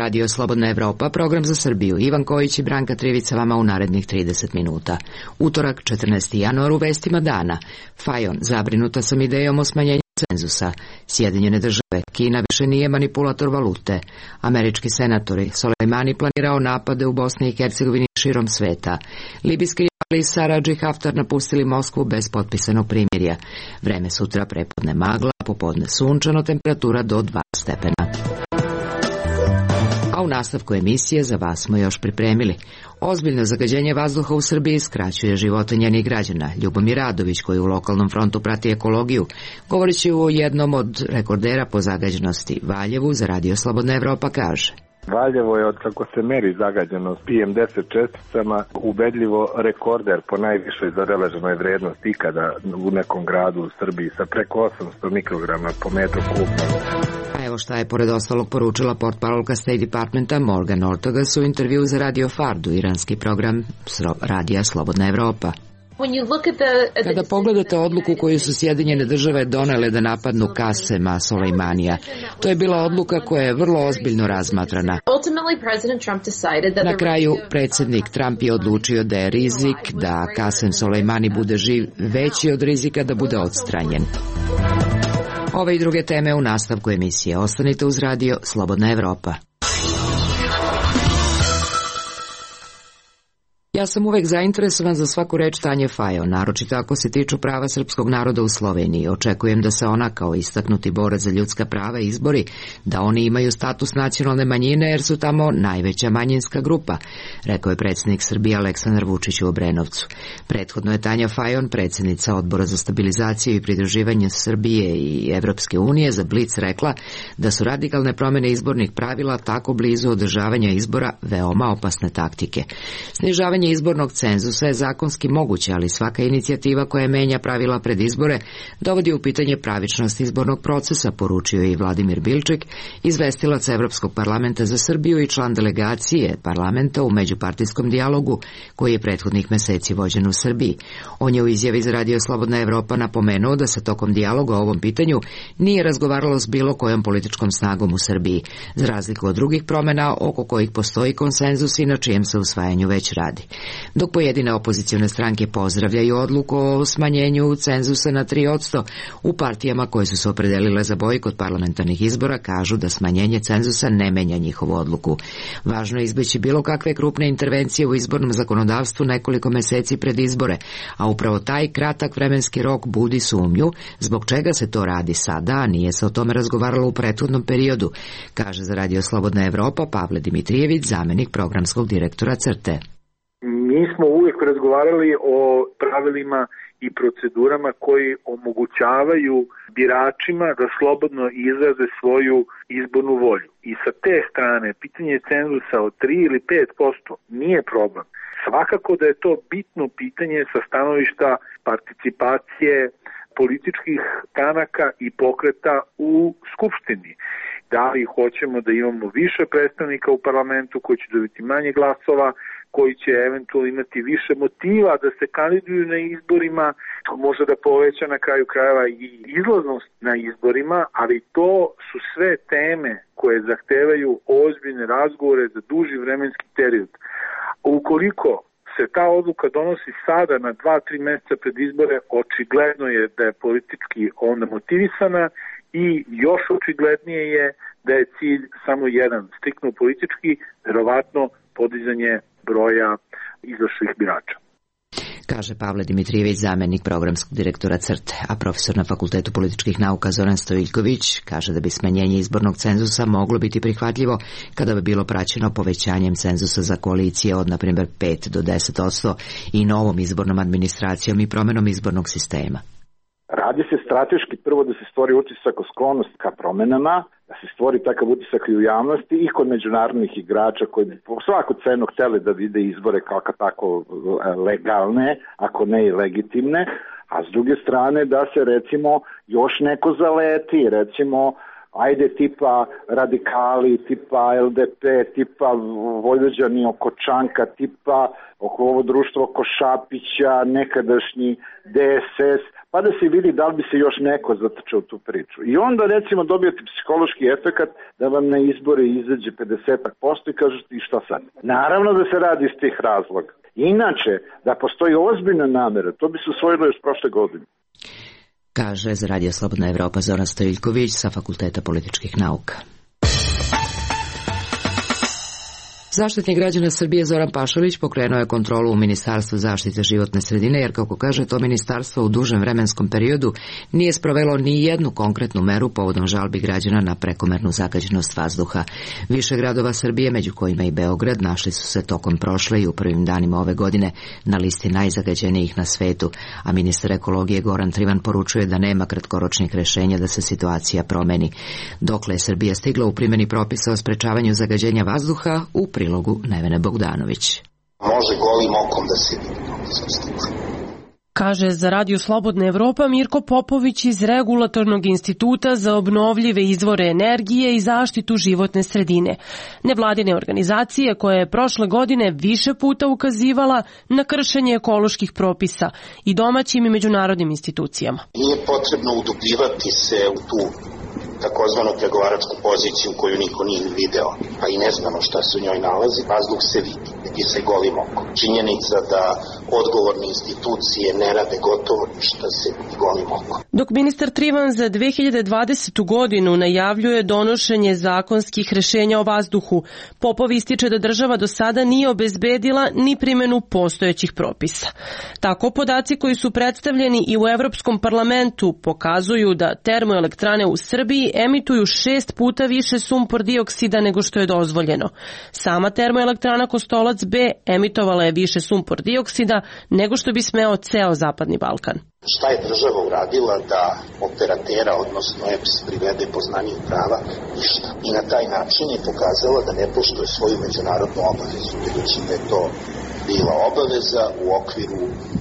Radio Slobodna Evropa, program za Srbiju. Ivan Kojić i Branka Trivica vama u narednih 30 minuta. Utorak, 14. januar, u vestima dana. Fajon, zabrinuta sam idejom o smanjenju cenzusa. Sjedinjene države, Kina više nije manipulator valute. Američki senatori, Soleimani planirao napade u Bosni i Hercegovini širom sveta. Libijski rivali Saradži i Haftar napustili Moskvu bez potpisanog primirja. Vreme sutra prepodne magla, popodne sunčano, temperatura do 2 stepena. A u nastavku emisije za vas smo još pripremili. Ozbiljno zagađenje vazduha u Srbiji skraćuje živote njenih građana. Ljubomir Radović, koji u lokalnom frontu prati ekologiju, govorit će o jednom od rekordera po zagađenosti, Valjevu, za Radio Slobodna Evropa kaže. Valjevo je, od kako se meri zagađenost PM10 česticama, ubedljivo rekorder po najvišoj zabeleženoj vrednosti ikada u nekom gradu u Srbiji, sa preko 800 mikrograma po metru kubnom. A evo šta je pored ostalog poručila portparolka State Departmenta Morgan Ortagus u intervju za Radio Fardu, iranski program Radija Slobodna Evropa. Kada pogledate odluku koju su Sjedinjene države donele da napadnu Kasema Soleimanija, to je bila odluka koja je vrlo ozbiljno razmatrana. Na kraju, predsjednik Trump je odlučio da je rizik da Kasem Soleimani bude živ veći od rizika da bude odstranjen. Ove i druge teme u nastavku emisije. Ostanite uz Radio Slobodna Evropa. Ja sam uvek zainteresovan za svaku reč Tanje Fajon, naročito ako se tiču prava srpskog naroda u Sloveniji. Očekujem da se ona, kao istaknuti borac za ljudska prava, izbori da oni imaju status nacionalne manjine jer su tamo najveća manjinska grupa, rekao je predsjednik Srbije Aleksandar Vučić u Obrenovcu. Prethodno je Tanja Fajon, predsjednica Odbora za stabilizaciju i pridruživanje Srbije i Evropske unije, za Blic rekla da su radikalne promjene izbornih pravila tako blizu održavanja izbora veoma opasne taktike. Snižavanje izbornog cenzusa je zakonski moguće, ali svaka inicijativa koja menja pravila pred izbore dovodi u pitanje pravičnost izbornog procesa, poručio je i Vladimir Bilčik, izvestilac Evropskog parlamenta za Srbiju i član delegacije parlamenta u međupartijskom dijalogu koji je prethodnih meseci vođen u Srbiji. On je u izjavi za Radio Slobodna Evropa napomenuo da se tokom dijaloga o ovom pitanju nije razgovaralo s bilo kojom političkom snagom u Srbiji, za razliku od drugih promjena oko kojih postoji konsenzus i na čijem se usvajanju već radi. Dok pojedine opozicione stranke pozdravljaju odluku o smanjenju cenzusa na 3%, u partijama koje su se opredelile za bojkot parlamentarnih izbora kažu da smanjenje cenzusa ne menja njihovu odluku. Važno je izbeći bilo kakve krupne intervencije u izbornom zakonodavstvu nekoliko meseci pred izbore, a upravo taj kratak vremenski rok budi sumnju zbog čega se to radi sada, a nije se o tome razgovaralo u prethodnom periodu, kaže za Radio Slobodna Evropa Pavle Dimitrijević, zamenik programskog direktora CRTE. Mi smo uvijek razgovarali o pravilima i procedurama koji omogućavaju biračima da slobodno izraze svoju izbornu volju. I sa te strane, pitanje cenzusa od 3 ili 5% nije problem. Svakako da je to bitno pitanje sa stanovišta participacije političkih stranaka i pokreta u Skupštini. Da li hoćemo da imamo više predstavnika u parlamentu koji će dobiti manje glasova, koji će eventualno imati više motiva da se kandiduju na izborima, to može da poveća na kraju krajeva i izlaznost na izborima, ali to su sve teme koje zahtevaju ozbiljne razgovore za duži vremenski period. Ukoliko se ta odluka donosi sada na 2-3 mjeseca pred izbore, očigledno je da je politički onda motivisana i još očiglednije je da je cilj samo jedan, striktno politički, verovatno podizanje broja izašlih birača. Kaže Pavle Dimitrijević, zamenik programskog direktora CRTE, a profesor na Fakultetu političkih nauka Zoran Stojiljković kaže da bi smanjenje izbornog cenzusa moglo biti prihvatljivo kada bi bilo praćeno povećanjem cenzusa za koalicije od, na primjer, 5 do 10% i novom izbornom administracijom i promjenom izbornog sistema. Radi se strateški prvo da se stvori utisak o sklonost ka promenama, da se stvori takav utisak i u javnosti i kod međunarodnih igrača koji bi po svaku cenu hteli da vide izbore kao tako legalne, ako ne i legitimne, a s druge strane da se recimo još neko zaleti, recimo ajde tipa radikali, tipa LDP, tipa Vojvođani oko Čanka, tipa oko ovo društvo oko Šapića, nekadašnji DSS, pa da se vidi da li bi se još neko zatrčao tu priču. I onda recimo dobijete psihološki efekat da vam na izbore izađe 50% i kažete i šta sad? Naravno da se radi iz tih razloga. Inače, da postoji ozbiljna namera, to bi se usvojilo još prošle godine. Kaže za Radio Slobodna Evropa Zoran Stojiljković sa Fakulteta političkih nauka. Zaštitnik građana Srbije Zoran Pašalić pokrenuo je kontrolu u Ministarstvu zaštite životne sredine, jer kako kaže to ministarstvo u dužem vremenskom periodu nije sprovelo ni jednu konkretnu meru povodom žalbi građana na prekomernu zagađenost vazduha. Više gradova Srbije, među kojima i Beograd, našli su se tokom prošle i u prvim danima ove godine na listi najzagađenijih na svetu, a ministar ekologije Goran Trivan poručuje da nema kratkoročnih rešenja da se situacija promeni. Dokle je Srbija stigla u primjeni propisa o sprečavanju zagađenja vazduha, u prilogu Nevene Bogdanović. Može golim okom da se vidi. Kaže za Radio Slobodna Evropa Mirko Popović iz Regulatornog instituta za obnovljive izvore energije i zaštitu životne sredine, nevladine organizacije koja je prošle godine više puta ukazivala na kršenje ekoloških propisa i domaćim i međunarodnim institucijama. Nije potrebno udubljivati se u tu takozvanu pregovaračku poziciju koju niko nije video, pa i ne znamo šta se u njoj nalazi, vazduh se vidi, vidi se golim okom. Činjenica da odgovorne institucije ne rade gotovo ništa se vidi golim okom. Dok ministar Trivan za 2020. godinu najavljuje donošenje zakonskih rešenja o vazduhu, Popov ističe da država do sada nije obezbedila ni primjenu postojećih propisa. Tako podaci koji su predstavljeni i u Evropskom parlamentu pokazuju da termoelektrane u Srbiji emituju 6 puta više sumpor dioksida nego što je dozvoljeno. Sama termoelektrana Kostolac B emitovala je više sumpor dioksida nego što bi smeo ceo Zapadni Balkan. Šta je država uradila da operatera, odnosno EPS, privede poznaniju prava? Ništa. I na taj način je pokazala da ne poštuje svoju međunarodnu obavezu, budući da je to bila obaveza u okviru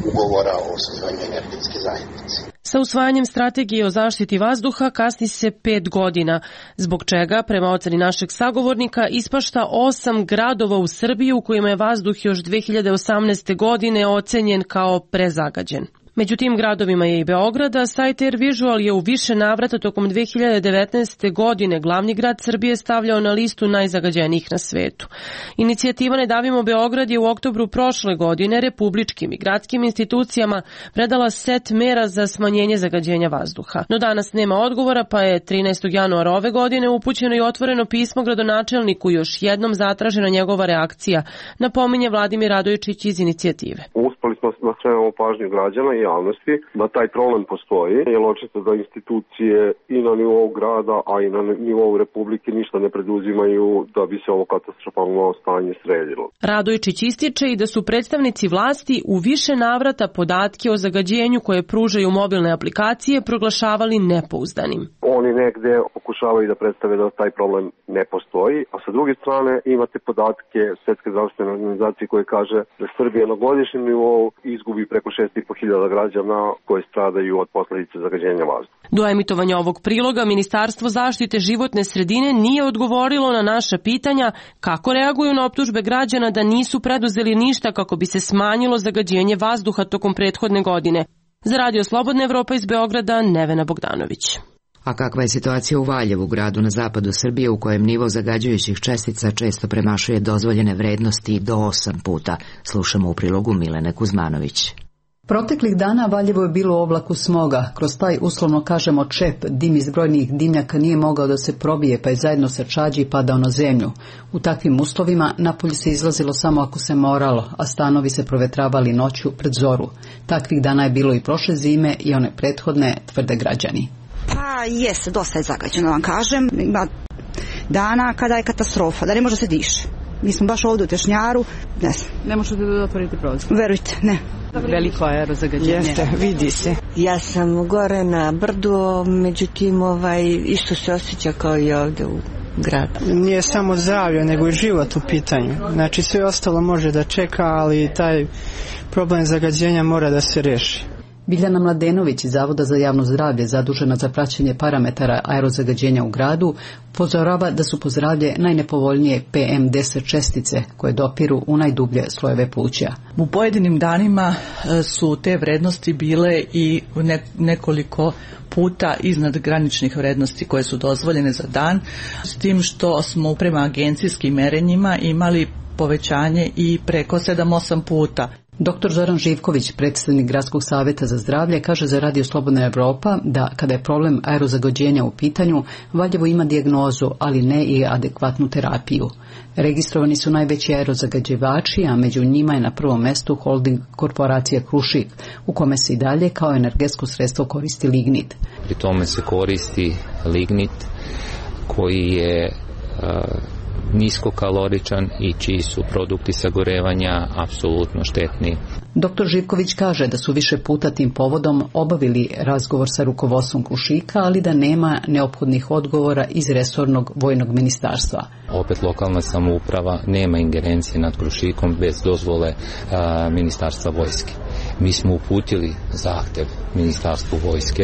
ugovora o osnivanju energetske zajednice. Sa usvajanjem strategije o zaštiti vazduha kasni se 5 godina, zbog čega, prema oceni našeg sagovornika, ispašta 8 gradova u Srbiji u kojima je vazduh još 2018. godine ocenjen kao prezagađen. Među tim gradovima je i Beograd, a sajt Air Visual je u više navrata tokom 2019. godine glavni grad Srbije stavljao na listu najzagađenijih na svetu. Inicijativa Ne davimo Beograd je u oktobru prošle godine republičkim i gradskim institucijama predala set mera za smanjenje zagađenja vazduha. No danas nema odgovora, pa je 13. januara ove godine upućeno i otvoreno pismo gradonačelniku, još jednom zatražena njegova reakcija, napominje Vladimir Radojičić iz inicijative. Uspeli smo da skrenemo pažnju građana i javnosti da taj problem postoji, jer očito da institucije i na nivou grada, a i na nivou Republike ništa ne preduzimaju da bi se ovo katastrofalno stanje sredilo. Radojičić ističe i da su predstavnici vlasti u više navrata podatke o zagađenju koje pružaju mobilne aplikacije proglašavali nepouzdanim. Oni negde pokušavaju da predstave da taj problem ne postoji, a sa druge strane imate podatke Svetske zdravstvene organizacije koje kaže da Srbija na godišnjem nivou izgubi preko 6.500 građana koji stradaju od posledice zagađenja vazduha. Do emitovanja ovog priloga Ministarstvo zaštite životne sredine nije odgovorilo na naša pitanja kako reaguju na optužbe građana da nisu preduzeli ništa kako bi se smanjilo zagađenje vazduha tokom prethodne godine. Za Radio Slobodna Evropa iz Beograda, Nevena Bogdanović. A kakva je situacija u Valjevu, gradu na zapadu Srbije u kojem nivo zagađujućih čestica često premašuje dozvoljene vrednosti do 8 puta? Slušamo u prilogu Milene Kuzmanović. Proteklih dana Valjevo je bilo u oblaku smoga. Kroz taj, uslovno kažemo, čep, dim iz brojnih dimnjaka nije mogao da se probije, pa je zajedno sa čađi padao na zemlju. U takvim uslovima napolje se izlazilo samo ako se moralo, a stanovi se provetravali noću pred zoru. Takvih dana je bilo i prošle zime i one prethodne, tvrde građani. Pa jeste, dosta je zagađeno, vam kažem. Ima dana kada je katastrofa, da ne može se diše. Mi smo baš ovdje u Tešnjaru, ne znam. Ne možete da otvorite prozor? Verujte, ne. Veliko aerozagađenje. Jeste, vidi se. Ja sam gore na brdu, međutim isto se osjeća kao i ovdje u gradu. Nije samo zdravlje, nego i život u pitanju. Znači sve ostalo može da čeka, ali taj problem zagađenja mora da se reši. Biljana Mladenović iz Zavoda za javno zdravlje, zadužena za praćenje parametara aerozagađenja u gradu, upozorava da su po zdravlje najnepovoljnije PM10 čestice koje dopiru u najdublje slojeve pluća. U pojedinim danima su te vrednosti bile i nekoliko puta iznad graničnih vrednosti koje su dozvoljene za dan, s tim što smo prema agencijskim merenjima imali povećanje i preko 7-8 puta. Dr. Zoran Živković, predstavnik Gradskog savjeta za zdravlje, kaže za Radio Slobodna Evropa da kada je problem aerozagađenja u pitanju, Valjevo ima dijagnozu, ali ne i adekvatnu terapiju. Registrovani su najveći aerozagađivači, a među njima je na prvom mestu holding korporacija Krušik, u kome se i dalje kao energetsko sredstvo koristi lignit. Pri tome se koristi lignit koji je niskokaloričan i čiji su produkti sagorevanja apsolutno štetni. Dr. Živković kaže da su više puta tim povodom obavili razgovor sa rukovodstvom Krušika, ali da nema neophodnih odgovora iz resornog vojnog ministarstva. Opet lokalna samouprava nema ingerencije nad Krušikom bez dozvole ministarstva vojske. Mi smo uputili zahtev ministarstvu vojske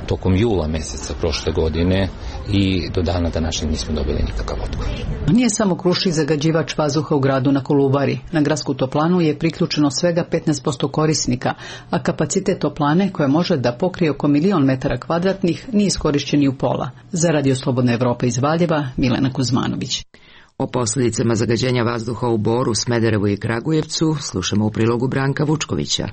tokom jula mjeseca prošle godine i do dana današnjeg nismo dobili nikakav odgovor. Nije samo Krušik zagađivač vazduha u gradu na Kolubari. Na gradsku toplanu je priključeno svega 15% korisnika, a kapacitet toplane koja može da pokrije oko 1.000.000 metara kvadratnih nije iskorišćen i u pola. Za Radio Slobodna Evropa iz Valjeva, Milena Kuzmanović. O posljedicama zagađenja vazduha u Boru, Smederevu i Kragujevcu slušamo u prilogu Branka Vučkovića.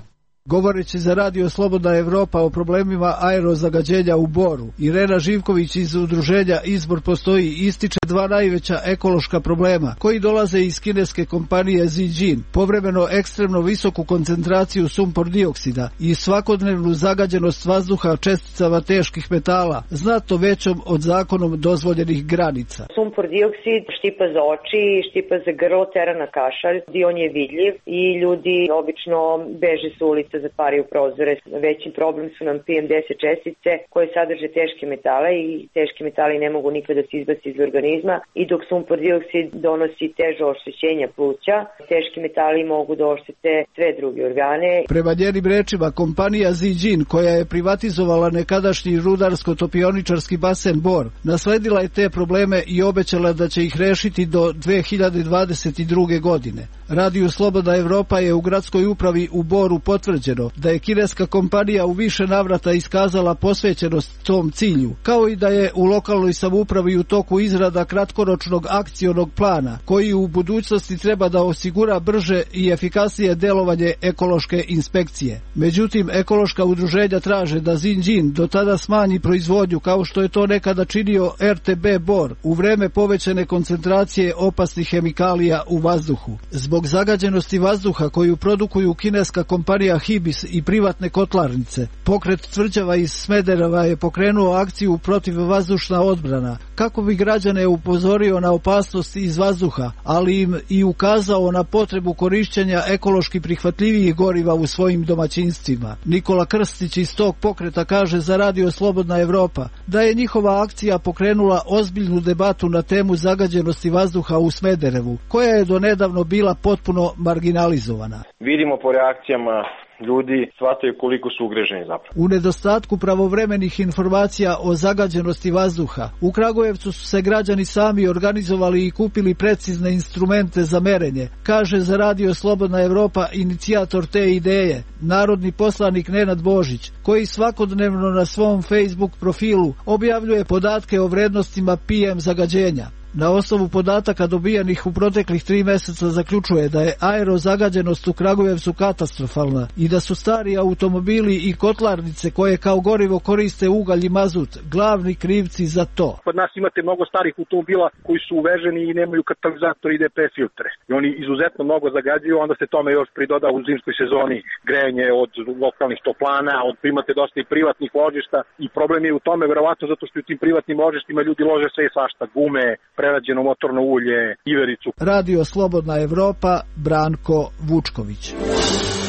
Govoreći za Radio Slobodna Evropa o problemima aerozagađenja u Boru, Irena Živković iz udruženja Izbor postoji ističe dva najveća ekološka problema koji dolaze iz kineske kompanije Zijin, povremeno ekstremno visoku koncentraciju sumpor dioksida i svakodnevnu zagađenost vazduha česticama teških metala, znatno većom od zakonom dozvoljenih granica. Sumpor dioksid štipa za oči, štipa za grlo, tera na kašalj, on je vidljiv i ljudi obično beže s ulice, zatvaraju prozore. Veći problem su nam PM10 čestice koje sadrže teške metale i teški metali ne mogu nikada da se izbaci iz organizma i dok sumpor dioksid donosi teže oštećenja pluća, teški metali mogu da oštete sve druge organe. Prema njenim rečima, kompanija Zijin, koja je privatizovala nekadašnji rudarsko-topioničarski basen Bor, nasledila je te probleme i obećala da će ih rešiti do 2022. godine. Radio Slobodna Evropa je u gradskoj upravi u Boru potvrđeno da je kineska kompanija u više navrata iskazala posvećenost tom cilju, kao i da je u lokalnoj samoupravi u toku izrada kratkoročnog akcionog plana, koji u budućnosti treba da osigura brže i efikasnije delovanje ekološke inspekcije. Međutim, ekološka udruženja traže da Zijin do tada smanji proizvodnju kao što je to nekada činio RTB Bor u vreme povećane koncentracije opasnih hemikalija u vazduhu. Zbog zagađenosti vazduha koju produkuju kineska kompanija Hibis i privatne kotlarnice, pokret tvrđava iz Smedereva je pokrenuo akciju protivvazdušna odbrana, kako bi građane upozorio na opasnost iz vazduha, ali im i ukazao na potrebu korišćenja ekološki prihvatljivijih goriva u svojim domaćinstvima. Nikola Krstić iz tog pokreta kaže za Radio Slobodna Evropa da je njihova akcija pokrenula ozbiljnu debatu na temu zagađenosti vazduha u Smederevu, koja je donedavno bila potpuno marginalizovana. Vidimo po reakcijama ljudi shvataju koliko su ugreženi zapravo. U nedostatku pravovremenih informacija o zagađenosti vazduha, u Kragujevcu su se građani sami organizovali i kupili precizne instrumente za merenje, kaže za Radio Slobodna Evropa inicijator te ideje, narodni poslanik Nenad Božić, koji svakodnevno na svom Facebook profilu objavljuje podatke o vrednostima PM zagađenja. Na osnovu podataka dobijanih u proteklih 3 mjeseca zaključuje da je aerozagađenost u Kragujevcu katastrofalna i da su stari automobili i kotlarnice koje kao gorivo koriste ugalj i mazut glavni krivci za to. Kod nas imate mnogo starih automobila koji su uveženi i nemaju katalizator i DP filtre. I oni izuzetno mnogo zagađuju, onda se tome još pridoda u zimskoj sezoni grejanje od lokalnih toplana, imate dosta i privatnih ložišta i problem je u tome verovatno zato što u tim privatnim ložištima ljudi lože sve i svašta, gume, prerađeno motorno ulje, ivericu. Radio Slobodna Evropa, Branko Vučković.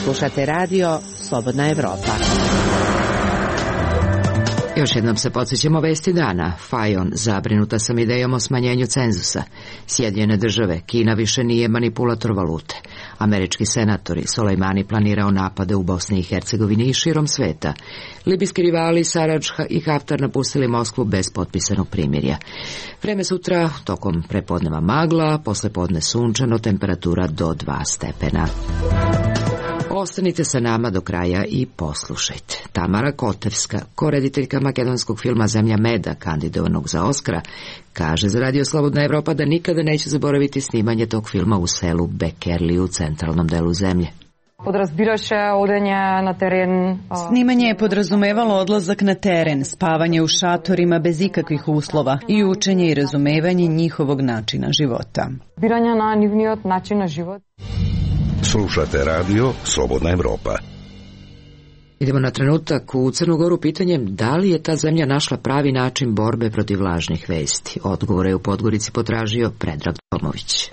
Slušate Radio Slobodna Evropa. Još jednom se podsjećamo vesti dana. Fajon, zabrinuta sam idejom o smanjenju cenzusa. Sjedinjene države, Kina više nije manipulator valute. Američki senatori, Soleimani planirao napade u Bosni i Hercegovini i širom sveta. Libijski rivali Saradž i Haftar napustili Moskvu bez potpisanog primirja. Vreme sutra, tokom prepodneva magla, poslepodne sunčano, temperatura do 2 stepena. Ostanite sa nama do kraja i poslušajte. Tamara Kotevska, korediteljka makedonskog filma Zemlja meda, kandidovanog za Oskara, kaže za Radio Slobodna Evropa da nikada neće zaboraviti snimanje tog filma u selu Bekerli u centralnom delu zemlje. Snimanje je podrazumevalo odlazak na teren, spavanje u šatorima bez ikakvih uslova i učenje i razumevanje njihovog načina života. Slušate radio Slobodna Evropa. Idemo na trenutak u Crnu Goru pitanjem da li je ta zemlja našla pravi način borbe protiv lažnih vesti. Odgovore je u Podgorici potražio Predrag Tomović.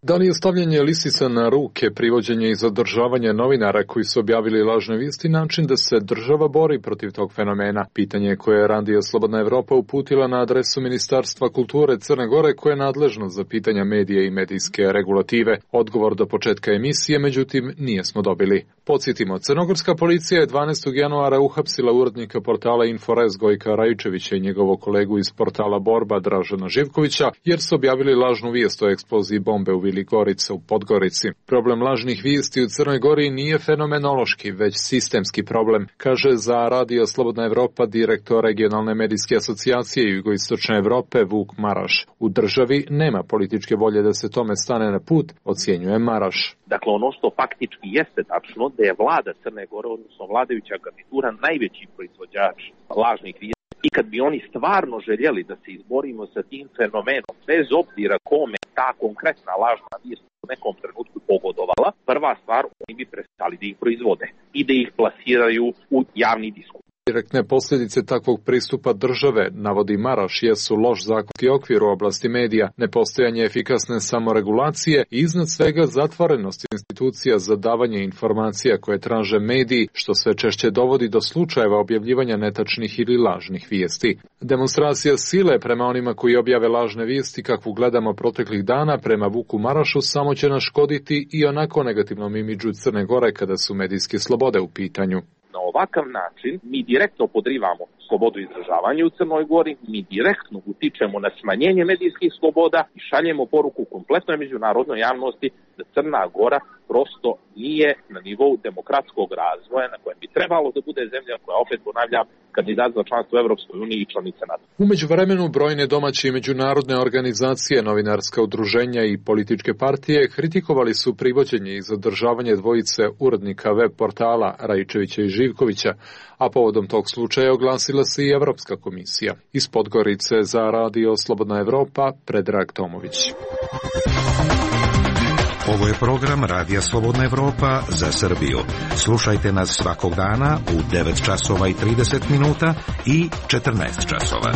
Da li je stavljanje lisica na ruke, privođenje i zadržavanje novinara koji su objavili lažne vijesti način da se država bori protiv tog fenomena? Pitanje koje je Radio Slobodna Evropa uputila na adresu Ministarstva kulture Crne Gore koje je nadležno za pitanja medija i medijske regulative. Odgovor do početka emisije, međutim, nismo dobili. Podsjetimo, crnogorska policija je 12. januara uhapsila urednika portala Inforez Gojka Rajčevića i njegovog kolegu iz portala Borba Dražena Živkovića jer su objavili lažnu vijest o eksploziji bombe u Vili Gorica u Podgorici. Problem lažnih vijesti u Crnoj Gori nije fenomenološki, već sistemski problem, kaže za Radio Slobodna Evropa direktor regionalne medijske asocijacije Jugoistočne Evrope Vuk Maraš. U državi nema političke volje da se tome stane na put, ocjenjuje Maraš. Dakle, ono što faktički jeste tačno da je vlada Crne Gore, odnosno vladajuća garnitura, najveći proizvođač lažnih vijesti. I kad bi oni stvarno željeli da se izborimo sa tim fenomenom, bez obzira kome ta konkretna lažna vijest u nekom trenutku pogodovala, prva stvar, oni bi prestali da ih proizvode i da ih plasiraju u javni diskurs. Direktne posljedice takvog pristupa države, navodi Maraš, jesu loš zakonski okvir u oblasti medija, nepostojanje efikasne samoregulacije i iznad svega zatvorenost institucija za davanje informacija koje traže mediji, što sve češće dovodi do slučajeva objavljivanja netačnih ili lažnih vijesti. Demonstracija sile prema onima koji objave lažne vijesti, kakvu gledamo proteklih dana, prema Vuku Marašu, samo će naškoditi i onako negativnom imidžu Crne Gore kada su medijske slobode u pitanju. Na ovakav način mi direktno podrivamo slobodu izražavanja u Crnoj Gori, mi direktno utičemo na smanjenje medijskih sloboda i šaljemo poruku kompletnoj međunarodnoj javnosti da Crna Gora prosto nije na nivou demokratskog razvoja na kojem bi trebalo da bude zemlja koja, opet ponavljam, kandidat za članstvo u Evropskoj uniji i članica NATO. U međuvremenu brojne domaće i međunarodne organizacije, novinarska udruženja i političke partije kritikovali su privođenje i zadržavanje dvojice urednika web portala Rajčevića i Živkovića, a povodom tog slučaja oglasila se i Evropska komisija. Iz Podgorice za Radio Slobodna Evropa, Predrag Tomović. Ovo je program Radija Slobodna Evropa za Srbiju. Slušajte nas svakog dana u 9 časova i 30 minuta i 14 časova.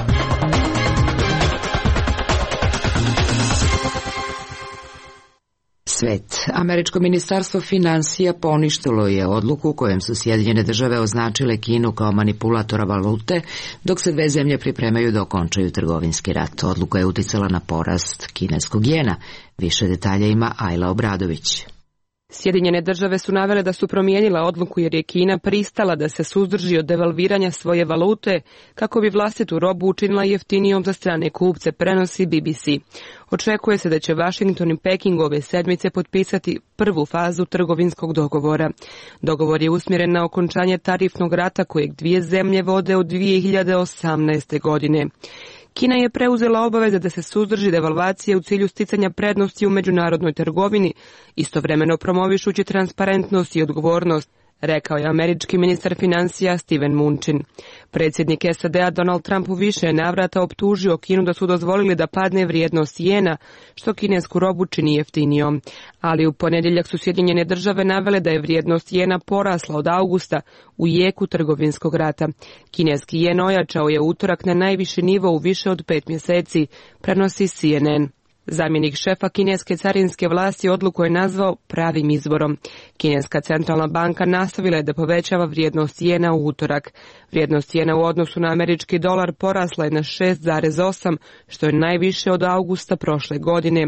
Svet. Američko ministarstvo finansija poništilo je odluku kojem su Sjedinjene države označile Kinu kao manipulatora valute, dok se dve zemlje pripremaju da okončaju trgovinski rat. Odluka je uticala na porast kineskog jena. Više detalja ima Ajla Obradović. Sjedinjene države su navele da su promijenila odluku jer je Kina pristala da se suzdrži od devalviranja svoje valute kako bi vlastitu robu učinila jeftinijom za strane kupce, prenosi BBC. Očekuje se da će Washington i Peking ove sedmice potpisati prvu fazu trgovinskog dogovora. Dogovor je usmjeren na okončanje tarifnog rata kojeg dvije zemlje vode od 2018. godine. Kina je preuzela obaveze da se suzdrži devalvacije u cilju sticanja prednosti u međunarodnoj trgovini, istovremeno promovišući transparentnost i odgovornost, rekao je američki ministar financija Steven Mnuchin. Predsjednik SAD-a Donald Trump u više navrata optužio Kinu da su dozvolili da padne vrijednost jena, što kinesku robu čini jeftinijom. Ali u ponedjeljak su Sjedinjene države navele da je vrijednost jena porasla od augusta u jeku trgovinskog rata. Kineski jen ojačao je utorak na najviši nivo u više od 5 mjeseci, prenosi CNN. Zamjenik šefa kineske carinske vlasti odluku je nazvao pravim izborom. Kineska centralna banka nastavila je da povećava vrijednost jena u utorak. Vrijednost jena u odnosu na američki dolar porasla je na 6,8, što je najviše od augusta prošle godine.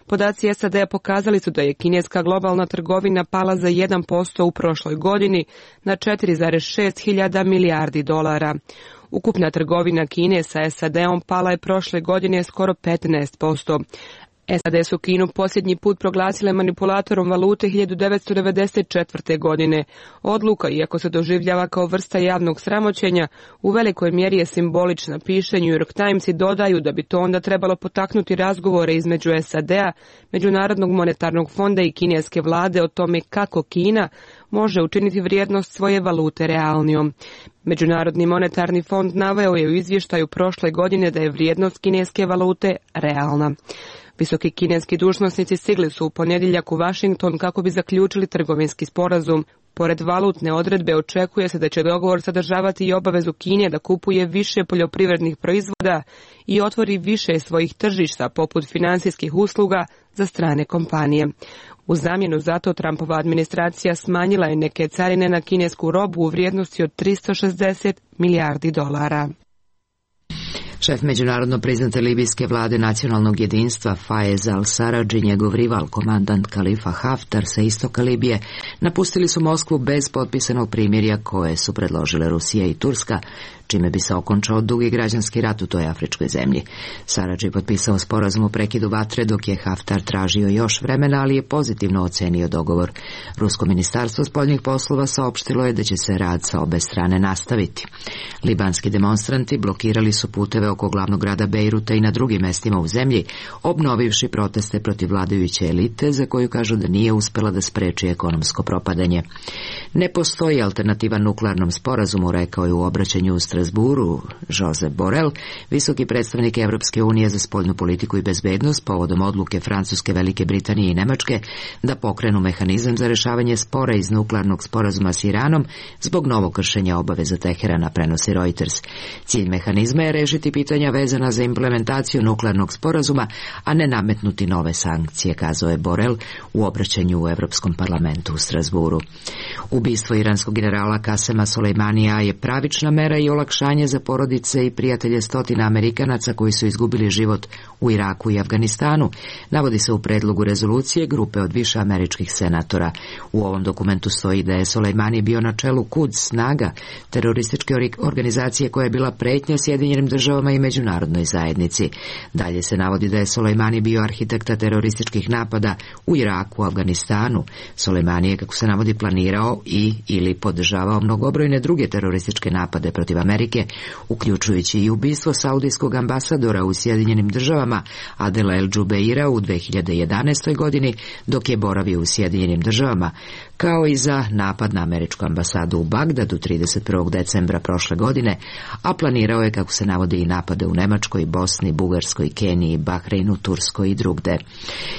Podaci SAD-a pokazali su da je kineska globalna trgovina pala za 1% u prošloj godini na 4,6 hiljada milijardi dolara. Ukupna trgovina Kine sa SAD-om pala je prošle godine skoro 15%. SAD su Kinu posljednji put proglasile manipulatorom valute 1994. godine. Odluka, iako se doživljava kao vrsta javnog sramoćenja, u velikoj mjeri je simbolična, piše New York Times i dodaju da bi to onda trebalo potaknuti razgovore između SAD-a, Međunarodnog monetarnog fonda i kineske vlade o tome kako Kina može učiniti vrijednost svoje valute realnijom. Međunarodni monetarni fond naveo je u izvještaju prošle godine da je vrijednost kineske valute realna. Visoki kineski dužnosnici stigli su u ponedjeljak u Washington kako bi zaključili trgovinski sporazum. Pored valutne odredbe očekuje se da će dogovor sadržavati i obavezu Kine da kupuje više poljoprivrednih proizvoda i otvori više svojih tržišta poput financijskih usluga za strane kompanije. U zamjenu za to Trumpova administracija smanjila je neke carine na kinesku robu u vrijednosti od 360 milijardi dolara. Šef međunarodno priznate libijske vlade nacionalnog jedinstva Fayez al-Sarraj i njegov rival, komandant Khalifa Haftar sa istoka Libije, napustili su Moskvu bez potpisanog primirja koje su predložile Rusija i Turska, čime bi se okončao dugi građanski rat u toj afričkoj zemlji. Sarraj je potpisao sporazum o prekidu vatre, dok je Haftar tražio još vremena, ali je pozitivno ocenio dogovor. Rusko ministarstvo spoljnih poslova saopštilo je da će se rad sa obe strane nastaviti. Libanski demonstranti blokirali su puteve oko glavnog grada Bejruta i na drugim mestima u zemlji, obnovivši proteste protiv vladajuće elite, za koju kažu da nije uspela da spreči ekonomsko propadanje. Ne postoji alternativa nuklearnom sporazumu, rekao je u obraćanju u Strasburu Josep Borrell, visoki predstavnik Evropske unije za spoljnu politiku i bezbednost, povodom odluke Francuske, Velike Britanije i Nemačke da pokrenu mehanizam za rešavanje spora iz nuklearnog sporazuma s Iranom zbog novog kršenja obaveza Teherana, prenosi Reuters. Cilj mehanizma je rešiti pitanja vezana za implementaciju nuklearnog sporazuma, a ne nametnuti nove sankcije, kazao je Borrell u obraćanju u Evropskom parlamentu u Strasburu. Ubistvo iranskog generala Kasema Solejmanija je pravična mera i olakšanje za porodice i prijatelje stotina Amerikanaca koji su izgubili život u Iraku i Afganistanu, navodi se u predlogu rezolucije grupe od više američkih senatora. U ovom dokumentu stoji da je Solejmani bio na čelu Quds snaga, terorističke organizacije koja je bila pretnja Sjedinjenim državama i međunarodnoj zajednici. Dalje se navodi da je Solejmani bio arhitekta terorističkih napada u Iraku, Afganistanu. Solejmani je, kako se navodi, planirao ili podržavao mnogobrojne druge terorističke napade protiv Amerike, uključujući i ubistvo saudijskog ambasadora u Sjedinjenim državama Adela El Džubeira u 2011. godini dok je boravio u Sjedinjenim državama, kao i za napad na američku ambasadu u Bagdadu 31. decembra prošle godine, a planirao je, kako se navodi, i napade u Nemačkoj, Bosni, Bugarskoj, Keniji, Bahreinu, Turskoj i drugde.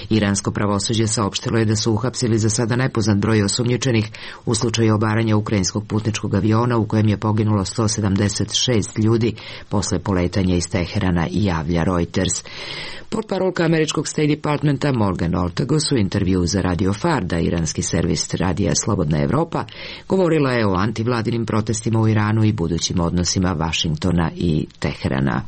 Iransko pravosuđe saopštilo je da su uhapsili za sada nepoznat broj osumnjičenih u slučaju obaranja ukrajinskog putničkog aviona u kojem je poginulo 176 ljudi posle poletanja iz Teherana, javlja Reuters. Portparolka američkog State Departmenta Morgan Ortagos u intervjuu za Radio Farda, iranski servis radija Slobodna Evropa, govorila je o antivladinim protestima u Iranu i budućim odnosima Vašingtona i Teherana.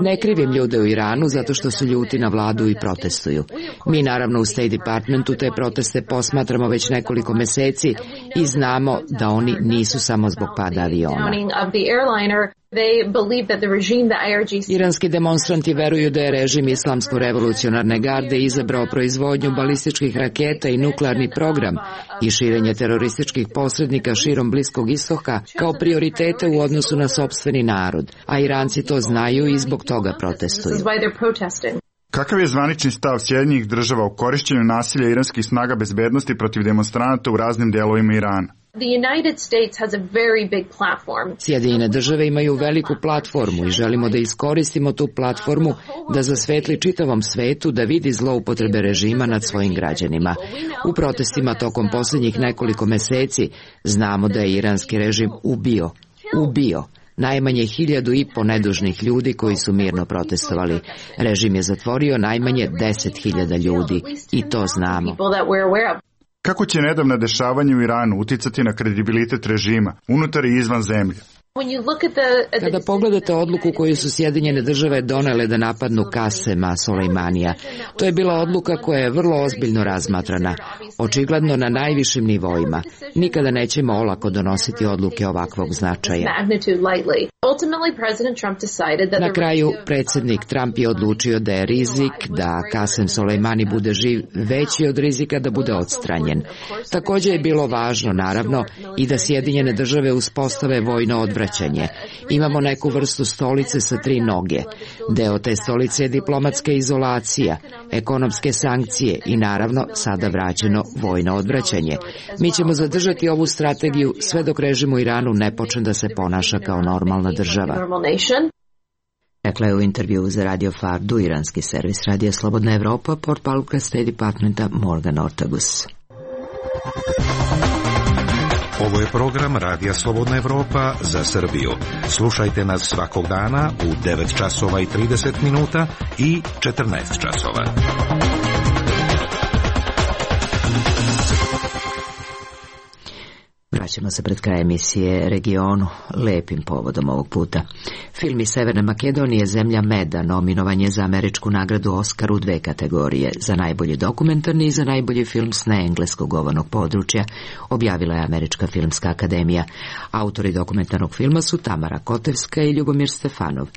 Ne krivim ljude u Iranu zato što su ljuti na vladu i protestuju. Mi naravno u State Departmentu te proteste posmatramo već nekoliko meseci i znamo da oni nisu samo zbog pada aviona. Iranski demonstranti veruju da je režim Islamsko-revolucionarne garde izabrao proizvodnju balističkih raketa i nuklearni program i širenje terorističkih posrednika širom Bliskog istoka kao prioritete u odnosu na sopstveni narod, a Iranci to znaju i zbog toga protestuju. Kakav je zvanični stav Sjedinjenih država o korišćenju nasilja iranskih snaga bezbednosti protiv demonstranata u raznim delovima Irana? Sjedinjene države imaju veliku platformu i želimo da iskoristimo tu platformu da zasvetli čitavom svetu da vidi zloupotrebe režima nad svojim građanima. U protestima tokom posljednjih nekoliko meseci znamo da je iranski režim ubio Najmanje 1.500 nedužnih ljudi koji su mirno protestovali. Režim je zatvorio najmanje 10.000 ljudi i to znamo. Kako će nedavna dešavanja u Iranu uticati na kredibilitet režima, unutar i izvan zemlje? Kada pogledate odluku koju su Sjedinjene države donele da napadnu Kasema Soleimanija, to je bila odluka koja je vrlo ozbiljno razmatrana, očigledno na najvišim nivoima. Nikada nećemo olako donositi odluke ovakvog značaja. Na kraju, predsjednik Trump je odlučio da je rizik da Kasem Soleimani bude živ veći od rizika da bude odstranjen. Također je bilo važno, naravno, i da Sjedinjene države uspostave vojno odvraćanje. Imamo neku vrstu stolice sa 3 noge. Deo te stolice je diplomatska izolacija, ekonomske sankcije i naravno sada vraćeno vojno odvraćanje. Mi ćemo zadržati ovu strategiju sve dok režim u Iranu ne počne da se ponaša kao normalna država. Rekla je u intervjuu za Radio Fardu iranski servis Radija Slobodna Evropa, portparolka State Departmenta Morgan Ortagus. Ovo je program Radija Slobodna Evropa za Srbiju. Slušajte nas svakog dana u 9 časova i 30 minuta i 14 časova. Vraćamo se pred kraj emisije Regionu lepim povodom ovog puta. Film iz Severne Makedonije Zemlja meda nominovan je za američku nagradu Oskar u 2 kategorije, za najbolji dokumentarni i za najbolji film s neengleskog govornog područja, objavila je Američka filmska akademija. Autori dokumentarnog filma su Tamara Kotevska i Ljubomir Stefanov.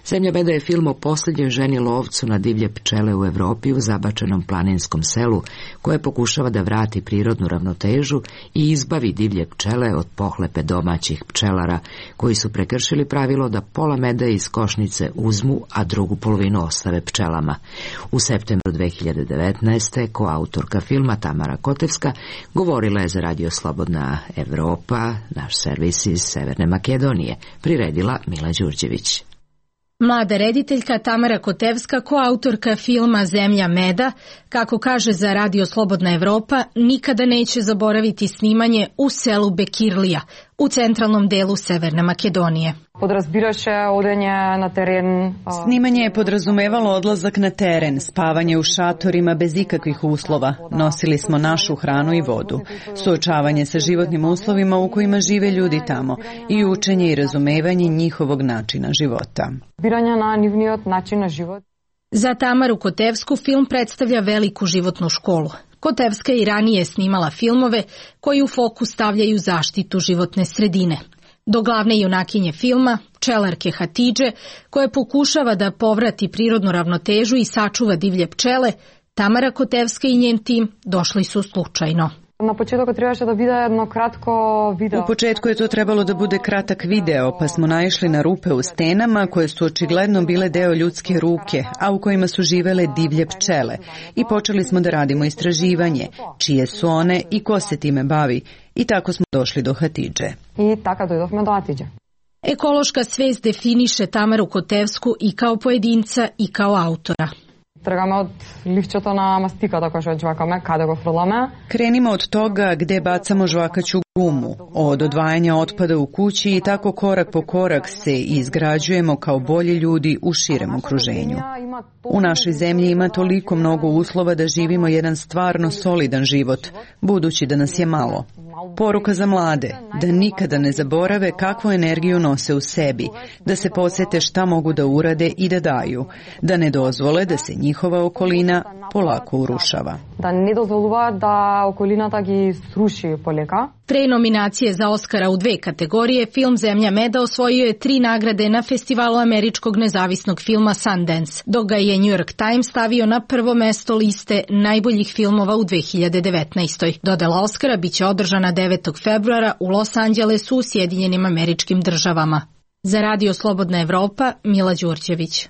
Zemlja meda je film o posljednjoj ženi lovcu na divlje pčele u Evropi u zabačenom planinskom selu, koje pokušava da vrati prirodnu ravnotežu i izbavi divlje pčele od pohlepe domaćih pčelara koji su prekršili pravilo da pola meda iz košnice uzmu, a drugu polovinu ostave pčelama. U septembru 2019. koautorka filma Tamara Kotevska govorila je za Radio Slobodna Evropa, naš servis iz Severne Makedonije, priredila Mila Đurđević. Mlada rediteljka Tamara Kotevska, koautorka filma Zemlja meda, kako kaže za Radio Slobodna Evropa, nikada neće zaboraviti snimanje u selu Bekirlija, u centralnom delu Severne Makedonije. Snimanje je podrazumevalo odlazak na teren, spavanje u šatorima bez ikakvih uslova. Nosili smo našu hranu i vodu, suočavanje sa životnim uslovima u kojima žive ljudi tamo i učenje i razumevanje njihovog načina života. Za Tamaru Kotevsku film predstavlja veliku životnu školu. Kotevska i ranije snimala filmove koji u fokus stavljaju zaštitu životne sredine. Do glavne junakinje filma, pčelarke Hatidže, koja pokušava da povrati prirodnu ravnotežu i sačuva divlje pčele, Tamara Kotevska i njen tim došli su slučajno. U početku je to trebalo da bude kratak video, pa smo naišli na rupe u stenama koje su očigledno bile deo ljudske ruke, a u kojima su živele divlje pčele. I počeli smo da radimo istraživanje, čije su one i ko se time bavi. I tako smo došli do Hatidže. Ekološka svest definiše Tamaru Kotevsku i kao pojedinca i kao autora. Krenimo od toga gde bacamo žvakaću gumu, od odvajanja otpada u kući i tako korak po korak se izgrađujemo kao bolji ljudi u širem okruženju. U našoj zemlji ima toliko mnogo uslova da živimo jedan stvarno solidan život, budući da nas je malo. Poruka za mlade, da nikada ne zaborave kakvu energiju nose u sebi, da se podsete šta mogu da urade i da daju, da ne dozvole da se njihova okolina polako urušava. Pre nominacije za Oskara u 2 kategorije, film Zemlja meda osvojio je 3 nagrade na Festivalu američkog nezavisnog filma Sundance, dok ga je New York Times stavio na prvo mesto liste najboljih filmova u 2019. Dodela Oskara biće održana 9. februara u Los Angelesu u Sjedinjenim Američkim Državama. Za Radio Slobodna Evropa, Mila Đurđević.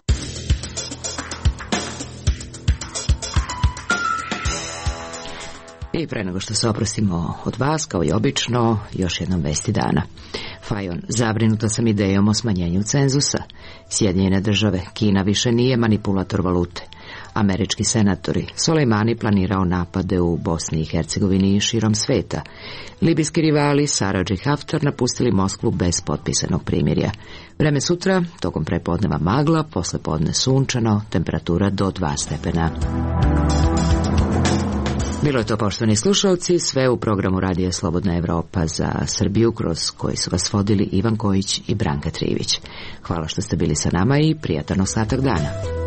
I pre nego što se oprostimo od vas, kao i obično, još jednom vesti dana. Fajon, zabrinuta sam idejom o smanjenju cenzusa. Sjedinjene države, Kina više nije manipulator valute. američki senatori. Soleimani planirao napade u Bosni i Hercegovini i širom sveta. Libijski rivali Sarraj i Haftar napustili Moskvu bez potpisanog primirja. Vreme sutra, tokom prepodneva magla, posle podne sunčano, temperatura do 2 stepena. Bilo je to, poštovani slušalci, sve u programu Radija Slobodna Evropa za Srbiju, kroz koji su vas vodili Ivan Kojić i Branka Trivić. Hvala što ste bili sa nama i prijatan ostatak dana.